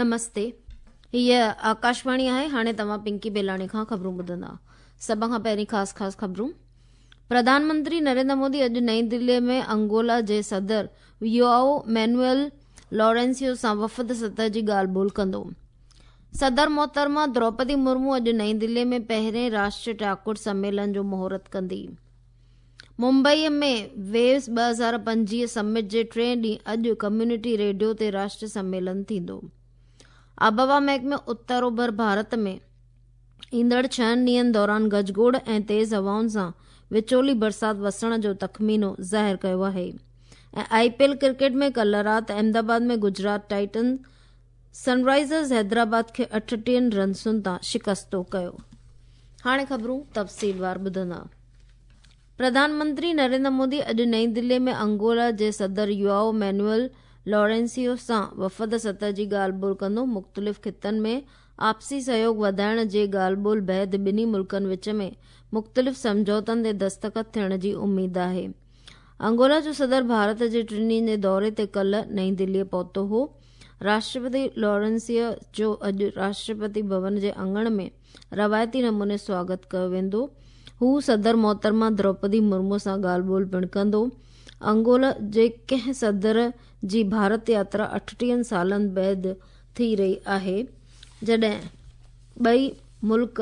نمستي هيء آڪاشواڻي آهي هاڻي توهان پنڪي بيلاڻي کان خبرون ٻڌندا سڀ کان پهرين خاص خاص خبرون پرڌان منتري نريندر مودي اڄ نئين دلي ۾ انگولا جي صدر يوآئو مينوئل لارينسيو سان وفد سطح جي ڳالهه ٻولهه ڪندو صدر محترمه دروپدي مرمو اڄ نئين دلي ۾ پهرين راشٽريه ٽاڪوٽ سميلن جو مهورت ڪندي ممبئي ۾ ويوز 2025 سمٽ جي ٽئين ڏينهن اڄ ڪميونٽي ريڊيو تي راشٽري سميلن ٿيندو. آبهوا محڪمي اتر اوڀر ڀارت ۾ ايندڙ ڇهن ڏينهن دوران گجگوڙ ۽ تيز هوائن سان وچولي برسات وسڻ جو تخمينو ظاهر ڪيو آهي ۽ آء پي ايل ڪرڪيٽ ۾ ڪلهه رات احمدآباد ۾ گجرات ٽائٽنز سن رائزرز حيدرآباد کي 38 رنسن تان شڪستو ڪيو. هاڻي خبرون تفصيلوار ٻڌندا. پرڌان منتري نريندر مودي اڄ نئين دلي ۾ انگولا جي صدر يوآئو مينوئل لارينسيو سان وفد سطح جي ڳالهه ٻولهه ڪندو. مختلف خطن ۾ آپسي سهيوڳ وڌائڻ جي ڳالهه ٻولهه بعد ٻنهي ملڪن وچ ۾ مختلف سمجهوتن تي دستخط ٿيڻ جي اميد آهي. انگولا جو صدر ڀارت جي ٽن ڏينهن جي دوري تي ڪلهه نئين دلي پهتو هو. راشٽرپتي لارينسيو جو اڄ راشٽرپتي ڀون جي اڱڻ ۾ روايتي نموني سواگت ڪيو ويندو. هو صدر محترمه دروپدي مرمو سان ڳالهه ٻولهه پڻ ڪندو. انگولا جي ڪنهن صدر جي ڀارت ياترا 38 سالن بعد ٿي رهي آهي، جڏهن ٻئي ملڪ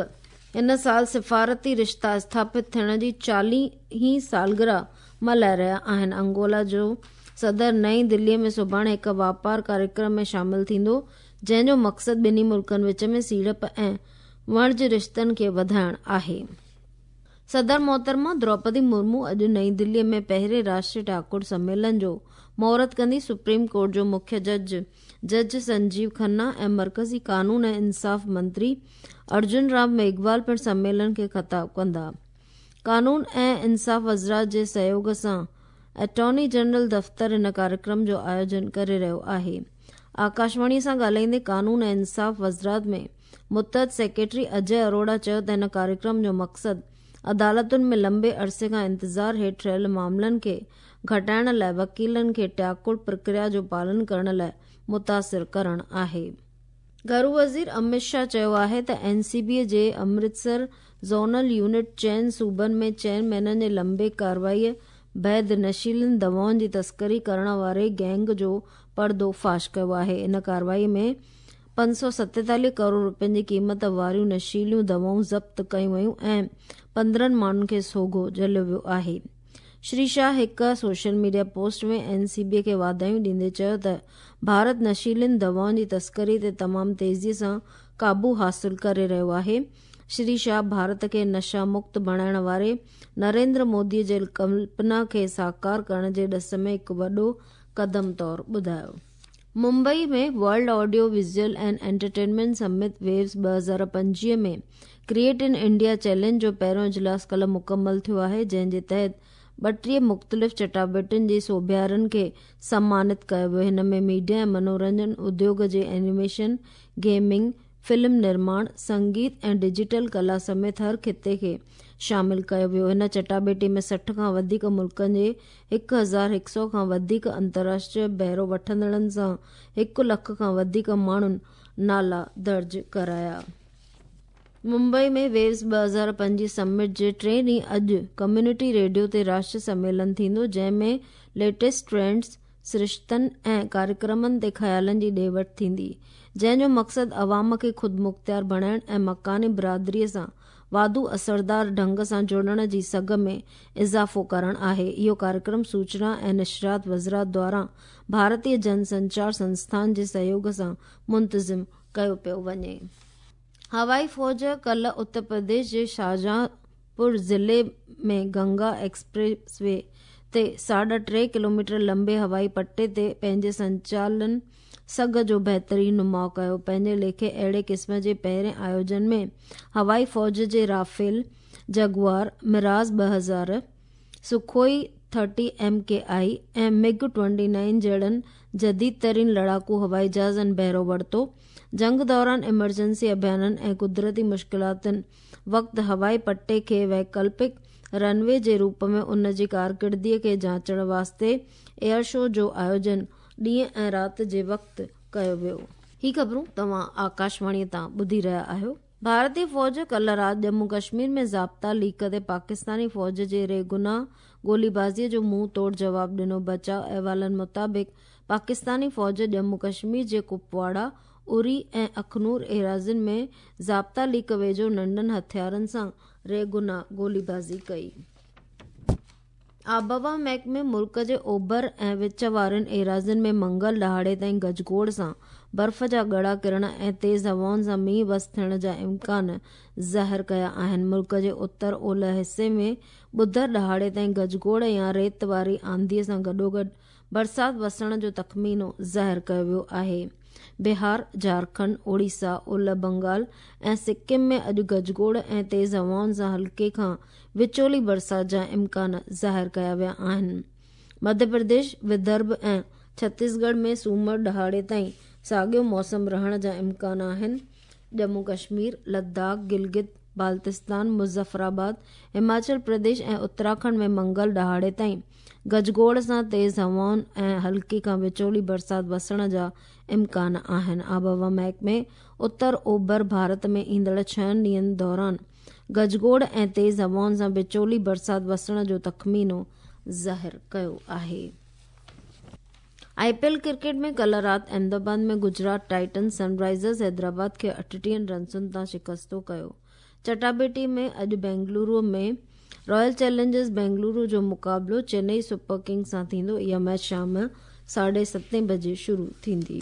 هن سال سفارتي رشتا اسٿاپت ٿيڻ جي 40 هين سالگرهه ملهائي رهيا آهن. انگولا جو صدر نئين دلي ۾ سڀاڻي هڪ واپار ڪاريڪرم ۾ شامل ٿيندو، جنهن جو مقصد ٻنهي ملڪن وچ ۾ سيڙپ ۽ وڻج رشتن کي وڌائڻ آهي. صدر محترمه دروپدي مرمو اڄ نئين دلي ۾ پهرين راشٽريه ٽاڪوٽ سميلن جو مهورت ڪندي. سپريم ڪورٽ جو مکيه جج جج سنجيو کنا ۽ مرڪزي قانون ۽ انصاف منتري ارجن رام ميگهوال پڻ سميلن کي خطاب ڪندا. قانون ۽ انصاف وزارت جي سهيوڳ سان اٽارني جنرل دفتر هن ڪاريڪرم جو آيوجن ڪري رهيو آهي. آڪاشواڻي سان ڳالهائيندي قانون ۽ انصاف وزارت ۾ متحد سيڪريٽري اجي اروڙا چيو ته هن ڪاريڪرم جو مقصد عدالتن ۾ لنبي عرصي کان انتظار هيٺ رهيل معاملن کي گهٽائڻ لاء وڪيلن کي ٽياڪوڙ پرڪريا جو پالن ڪرڻ لاء متاثر ڪرڻ آهي. گهرو وزير امت شاهه چيو آهي ته اين سي بي جي امرتسر زونل يونٽ چئن صوبن ۾ چئن مهينن جي لنبي ڪارروائي بعد نشيلين دوائن جي تسڪري ڪرڻ واري گينگ جو پردو فاش ڪيو آهي. ان ڪارروائي ۾ 547 ڪروڙ رپين جي قيمت واريون نشيليون دوائون ضبط ڪيون ويون ۽ 15 ماڻهن کي سوگهو جهليو ويو آهي. شري شاهه هڪ social media post ۾ N C B کي واڌايون ڏيندي چيو ته ڀارت نشيلين دوائن جي تسڪري تي تمام تيزي سان قابو حاصل ڪري رهيو آهي. شري شاهه ڀارت کي نشا مڪت بڻائڻ واري نريندر مودي جي ڪلپنا کي ساڪار ڪرڻ جي ڏس ۾ هڪ وڏو قدم طور ٻڌايو. Mumbai ۾ world audio visual and entertainment summit waves 2025 ۾ create in India challenge جو پهريون اجلاس ڪلهه مڪمل ٿيو آهي، جنهن جي تحت 32 مختلف چٽاڀيٽين جي سوڀيارن کي سمانت ڪيو ويو. هن ۾ ميڊيا ۽ منورنجن اديوگ جي اينيميشن، گيمنگ، فلم نرماڻ، سنگيت ۽ ڊجيٽل ڪلا سميت هر خطي کي شامل ڪيو ويو. هن چٽاڀيٽي ۾ 60 کان وڌيڪ ملڪن جي 1100 کان وڌيڪ انترراشٽريه بهرو وٺندڙن سان هڪ لک کان وڌيڪ ماڻهن نالا درج ڪرايا. ممبئي ۾ ويوز 2025 سمٽ جي ٽئين ڏينهن اڄ ڪميونٽي ريڊيو تي راشٽريه سميلن ٿيندو، جنهن ۾ ليٽيسٽ ٽرينڊز، سرشتن ۽ ڪاريڪرمن تي خيالن جي ڏي وٺ ٿيندي، جنهن جو مقصد عوام کي خودمختيار بڻائڻ ۽ مڪاني برادري سان واڌو اثردار ڍنگ سان جڙڻ جي سگهه ۾ اضافو ڪرڻ آهي. اهو ڪاريڪرم سوچنا ۽ نشريات وزارت دواران ڀارتيه جن سنچار سنسٿان جي سهيوڳ سان منتظم ڪيو پيو وڃي. هوائي فوج ڪلهه اتر پرديش جي شاهجهان پور ضلعي ۾ گنگا ايڪسپريس وي تي ساڍا ٽي ڪلوميٽر لنبي هوائي پٽي تي پنهنجي سنچالن سگهه جو بهترين نماء ڪيو. پنهنجي ليکي اهڙي قسم جي پهرين آيوجن ۾ هوائي فوج جي Rafale, جگوار، Mirage 2000، Sukhoi 30 M K I ۽ MiG 29 جهڙن جديد ترين لڙاڪو هوائي جهازن بهرو ورتو. جنگ دوران ايمرجنسي اڀيانن ۽ قدرتي مشڪلاتن وقت هوائي پٽي کي ويڪلپڪ رن وي جي روپ ۾ ان جي ڪارڪردگي کي جاچڻ واسطي ايئر شو جو آيوجن ڏينهن ۽ رات جي وقت ڪيو ويو. هي خبرون توهان آڪاشواڻيء تان ٻڌي رهيا آهيو. ڀارتي فوج ڪلهه رات ڄمون ڪشمير ۾ ضابطا ليڪ تي پاڪستاني فوج جي ريگناهه گوليبازيء جو منهن توڙ جواب ڏنو. بچاء احوالن مطابق پاڪستاني فوج ڄمون ڪشمير جي ڪپواڙا، اري ۽ اخنور ايراضين ۾ ضابطا ليڪ ويجهو ننڍن هٿيارن سان ريگناهه گوليبازي ڪئي. آبهوا محڪمي ملڪ جي اوڀر ۽ وچ وارين ايراضين ۾ منگل ڏهاڙي تائين گجگوڙ سان برف جا ڳڙا ڪرڻ ۽ تيز هوائن سان مينهن وس ٿيڻ جا امڪان ظاهر ڪيا آهن. ملڪ جي اتر اولهه حصي ۾ ٻڌر ڏهاڙي تائين گجگوڙ يا ريت واري آنڌيء سان گڏوگڏ برسات وسڻ جو تخمينو ظاهر ڪيو ويو آهي. بهار، جهارکنڊ، اوڙيسا، اولهه بنگال ۽ سڪم ۾ اڄ گجگوڙ ۽ تيز هوائن سان هلڪي کان وچولي برسات جا امڪان ظاهر ڪيا ويا آهن. مڌيه پرديش، ودرڀ ۽ ڇتيسڳڙهه ۾ سومر ڏهاڙي تائين ساڳيو موسم رهڻ جا امڪان آهن. ڄمون ڪشمير، لداخ، گلگت بالتستان، مظفرآباد، هماچل پرديش ۽ اتراکنڊ ۾ منگل ڏهاڙي تائين گجگوڙ سان تيز هوائن ۽ هلڪي کان وچولي برسات وسڻ جا امڪان آهن. آبهوا محڪمي اتر اوڀر ڀارت ۾ ايندڙ ڇهن ڏينهن دوران گجگوڙ ۽ تيز هوائن سان وچولي برسات وسڻ جو تخمينو ظاهر ڪيو آهي. آء پي ايل ڪرڪيٽ ۾ ڪلهه رات احمدآباد ۾ گجرات ٽائٽنز سن رائزرز حيدرآباد کي 38 رنسن تان شڪستو ڪيو. چٽاڀيٽي ۾ اڄ بينگلورو ۾ رائل چئلينجرز بينگلورو جو مقابلو چنئي سپر ڪنگز سان ٿيندو. اها ميچ شام 7:30 بجي شروع ٿيندي.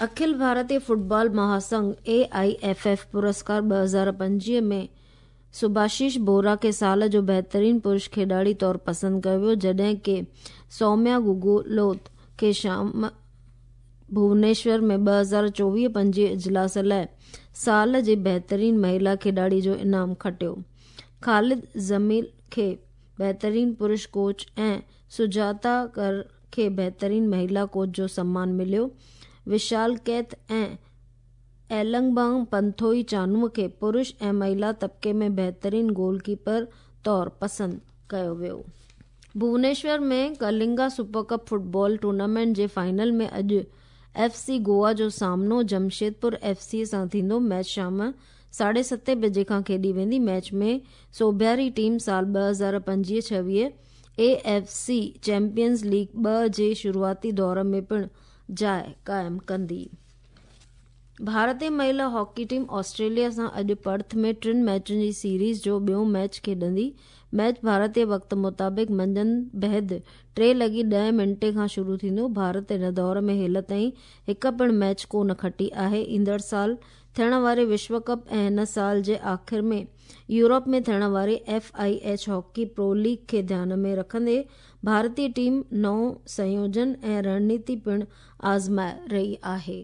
Akhil Bharatiya football Mahasangh, A I F F, پرسڪار 2025 ۾ سڀاشيش بورا کي سال جو بهترين پرش کيڏاڙي طور پسند ڪيو ويو، جڏهن ڪه سوميا گوگولوت کي شام ڀونيشور ۾ 2024-25 اجلاس لاء سال جي بهترين مهيلا کيڏاڙي جو انعام کٽيو. خالد زميل کي بهترين پرش ڪوچ ۽ سجاتا ڪر کي بهترين مهيلا ڪوچ جو سمان مليو. وشال ڪيٿ ۽ ايلنگبانگ پنٿوئي چانو کي پرش ۽ مهيلا طبقي ۾ بهترين گول ڪيپر طور پسند ڪيو ويو. Bhubaneswar ۾ Kalinga super cup football tournament جي فائنل ۾ اڄ ايف سي گوا جو سامنو جمشيدپور ايف سي سان ٿيندو. ميچ شام 7:30 بجي کان کيڏي ويندي. ميچ ۾ سوڀياري ٽيم سال 2025-26 اي ايف سي چيمپيئنز ليگ 2 جي شروعاتي دور ۾ پڻ جاء قائم ڪندي. ڀارتي مهيلا هاڪي ٽيم آسٽريليا سان اڄ پرٿ ۾ ٽن ميچن جي سيريز جو ٻيون ميچ کيڏندي. ميچ ڀارتي وقت مطابق منجهند بعد 3:10 کان شروع ٿيندو. ڀارت هن دور ۾ هيل تائين هڪ پڻ ميچ ڪو نه کٽي آهي. ايندڙ سال ٿيڻ واري وشو ڪپ ۽ هن سال جي آخر ۾ يورپ ۾ ٿيڻ واري F I H hockey pro league کي ڌيان ۾ رکندي ڀارتي ٽيم نئون سنيوجن ۽ رڻنيتي پڻ آزمائي رهي آهي.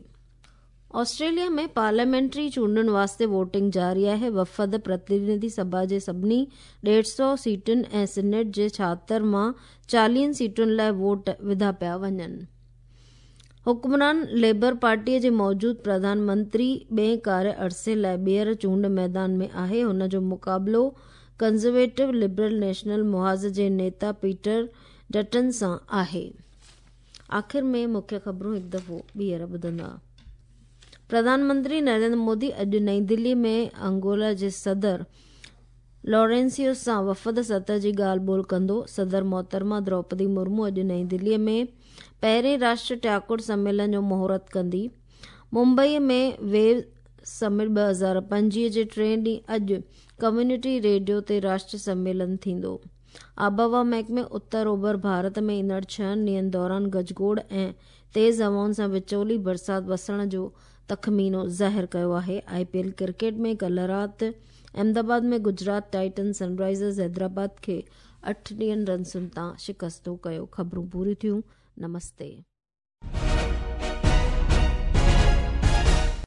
آسٽريليا ۾ پارليامينٽري چونڊن واسطي ووٽنگ جاري آهي. وفد پرتنڌي سڀا جي سڀني 150 سيٽن ۽ سينيٽ جي 76 مان 40 سيٽن لاء ووٽ وڌا پيا وڃن. حڪمران ليبر پارٽيء جي موجود پرڌان منتري ٻئين ڪاري عرصي لاء ٻيهر چونڊ ميدان ۾ آهي. هن جو مقابلو ڪنزرويٽو لبرل نيشنل محاذ جي نيتا پيٽر ڊٽن سان آهي. آخر ۾ مکيه خبرون هڪ دفعو ٻيهر ٻڌندا. پرڌان منتري نريندر مودي اڄ نئين دهلي ۾ انگولا جي صدر لورينسيو سان وفد سطح جي ڳالهه ٻولهه ڪندو. صدر محترمه دروپدي مرمو اڄ نئين دهلي ۾ پهرين راشٽر ٽياڪڙ سميلن جو مهورت ڪندي. ممبئي ۾ ويو سمٽ 2025 جي ٽئين ڏينهن اڄ ڪميونٽي ريڊيو تي راشٽر سميلن ٿيندو. آبهوا محڪمي اتر اوڀر ڀارت ۾ ايندڙ ڇهن ڏينهن دوران گجگوڙ ۽ تيز هوائن سان وچولي برسات وسڻ جو تخمينو ظاهر ڪيو آهي. آء پي ايل ڪرڪيٽ ۾ ڪلهه رات احمدآباد ۾ گجرات ٽائٽنز سن رائزرز حيدرآباد کي 38 رنسن تان شڪستو ڪيو. خبرون پوريون ٿيون. نمستي.